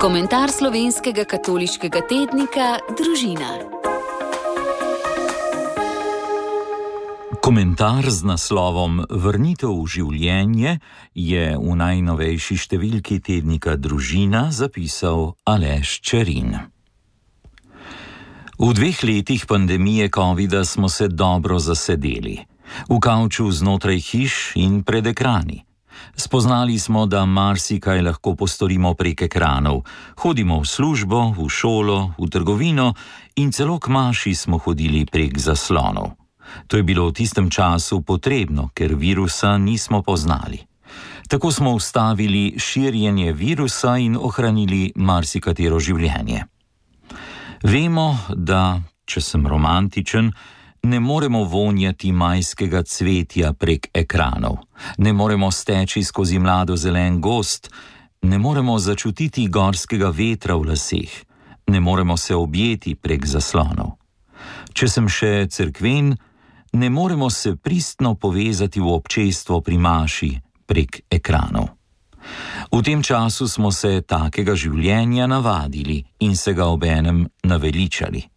Komentar slovenskega katoliškega tednika Družina. Komentar z naslovom Vrnitev v življenje je v najnovejši številki tednika Družina zapisal Aleš Čerin. V 2 letih pandemije covida smo se dobro zasedeli. V kavču znotraj hiš in pred ekrani. Spoznali smo, da marsikaj lahko postorimo prek ekranov. Hodimo v službo, v šolo, v trgovino in celo k maši smo hodili prek zaslonov. To je bilo v tistem času potrebno, ker virusa nismo poznali. Tako smo ustavili širjenje virusa in ohranili marsikatero življenje. Vemo, da, če sem romantičen, ne moremo vonjati majskega cvetja prek ekranov, ne moremo steči skozi mlado zelen gozd, ne moremo začutiti gorskega vetra v laseh, ne moremo se objeti prek zaslonov. Če sem še cerkven, ne moremo se pristno povezati v občestvo pri maši prek ekranov. V tem času smo se takega življenja navadili in se ga obenem naveličali.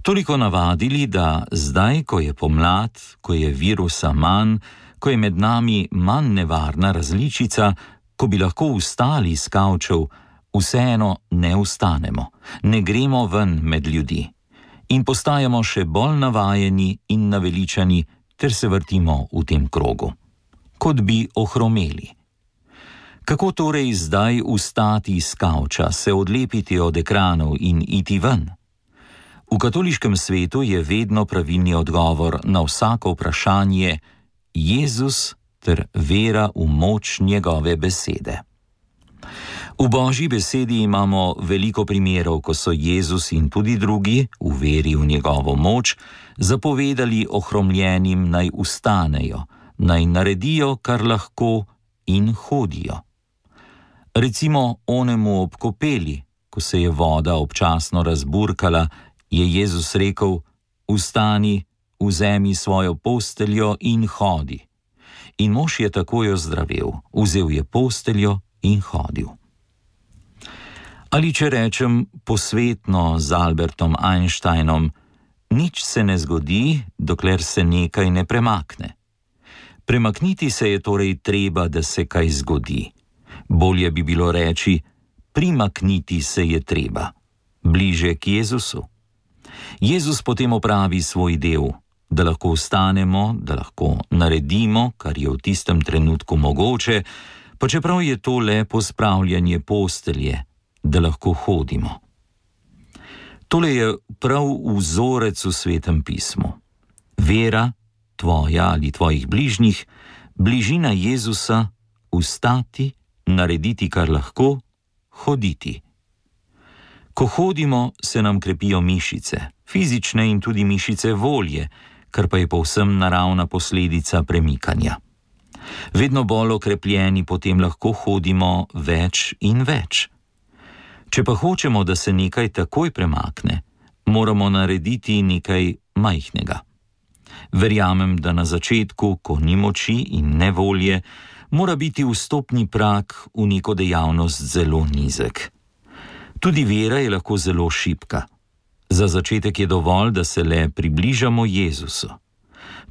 Toliko navadili, da zdaj, ko je pomlad, ko je virusa manj, ko je med nami manj nevarna različica, ko bi lahko vstali s kavčev, vseeno ne vstanemo, ne gremo ven med ljudi in postajamo še bolj navajeni in naveličani ter se vrtimo v tem krogu, kot bi ohromeli. Kako torej zdaj vstati s kavča, se odlepiti od ekranov in iti ven? V katoliškem svetu je vedno pravilni odgovor na vsako vprašanje Jezus ter vera v moč njegove besede. V Božji besedi imamo veliko primerov, ko so Jezus in tudi drugi, v veri v njegovo moč, zapovedali ohromljenim naj vstanejo, naj naredijo, kar lahko in hodijo. Recimo onemu ob kopeli, ko se je voda občasno razburkala, je Jezus rekel: "Vstani, vzemi svojo posteljo in hodi." In mož je takoj ozdravel, vzel je posteljo in hodil. Ali če rečem posvetno z Albertom Einsteinom, nič se ne zgodi, dokler se nekaj ne premakne. Premakniti se je torej treba, da se kaj zgodi. Bolje bi bilo reči, primakniti se je treba, bliže k Jezusu. Jezus potem opravi svoj del, da lahko vstanemo, da lahko naredimo, kar je v tistem trenutku mogoče, pa čeprav je to le pospravljanje postelje, da lahko hodimo. Tole je prav vzorec v Svetem pismu. Vera, tvoja ali tvojih bližnjih, bližina Jezusa, vstati, narediti, kar lahko, hoditi. Ko hodimo, se nam krepijo mišice, fizične in tudi mišice volje, kar pa je povsem naravna posledica premikanja. Vedno bolj okrepljeni potem lahko hodimo več in več. Če pa hočemo, da se nekaj takoj premakne, moramo narediti nekaj majhnega. Verjamem, da na začetku, ko ni moči in ne volje, mora biti vstopni prag v neko dejavnost zelo nizek. Tudi vera je lahko zelo šibka. Za začetek je dovolj, da se le približamo Jezusu.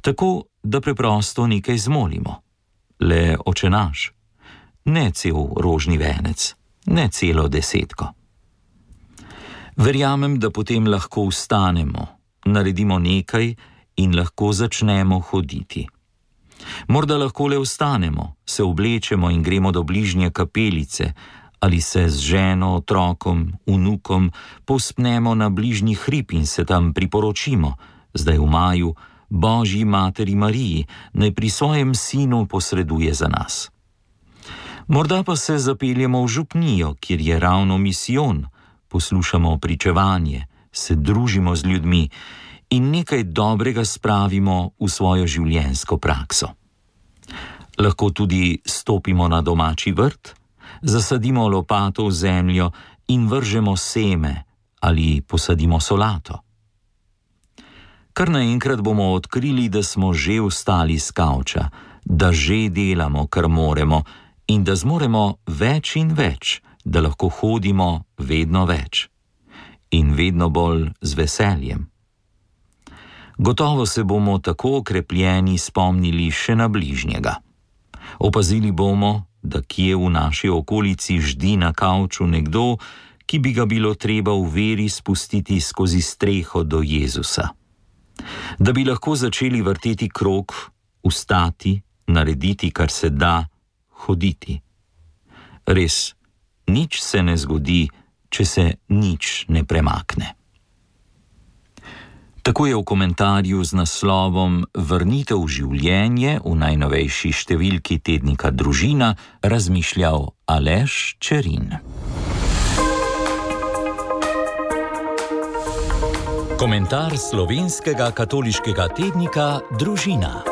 Tako, da preprosto nekaj zmolimo. Le Oče naš. Ne cel rožni venec, ne celo 10. Verjamem, da potem lahko vstanemo, naredimo nekaj in lahko začnemo hoditi. Morda lahko le vstanemo, se oblečemo in gremo do bližnje kapelice, ali se z ženo, otrokom, vnukom povzpnemo na bližnji hrib in se tam priporočimo, zdaj v maju, Božji materi Mariji, naj pri svojem sinu posreduje za nas. Morda pa se zapeljemo v župnijo, kjer je ravno misijon, poslušamo pričevanje, se družimo z ljudmi in nekaj dobrega spravimo v svojo življenjsko prakso. Lahko tudi stopimo na domači vrt, zasadimo lopato v zemljo in vržemo seme ali posadimo solato. Kar naenkrat bomo odkrili, da smo že vstali s kavča, da že delamo, kar moremo in da zmoremo več in več, da lahko hodimo vedno več in vedno bolj z veseljem. Gotovo se bomo tako okrepljeni spomnili še na bližnjega. Opazili bomo, da kje v naši okolici ždi na kavču nekdo, ki bi ga bilo treba v veri spustiti skozi streho do Jezusa. Da bi lahko začeli vrteti krog, vstati, narediti, kar se da, hoditi. Res, nič se ne zgodi, če se nič ne premakne. Tako je v komentarju z naslovom Vrnitev v življenje v najnovejši številki tednika Družina razmišljal Aleš Čerin. Komentar slovenskega katoliškega tednika Družina.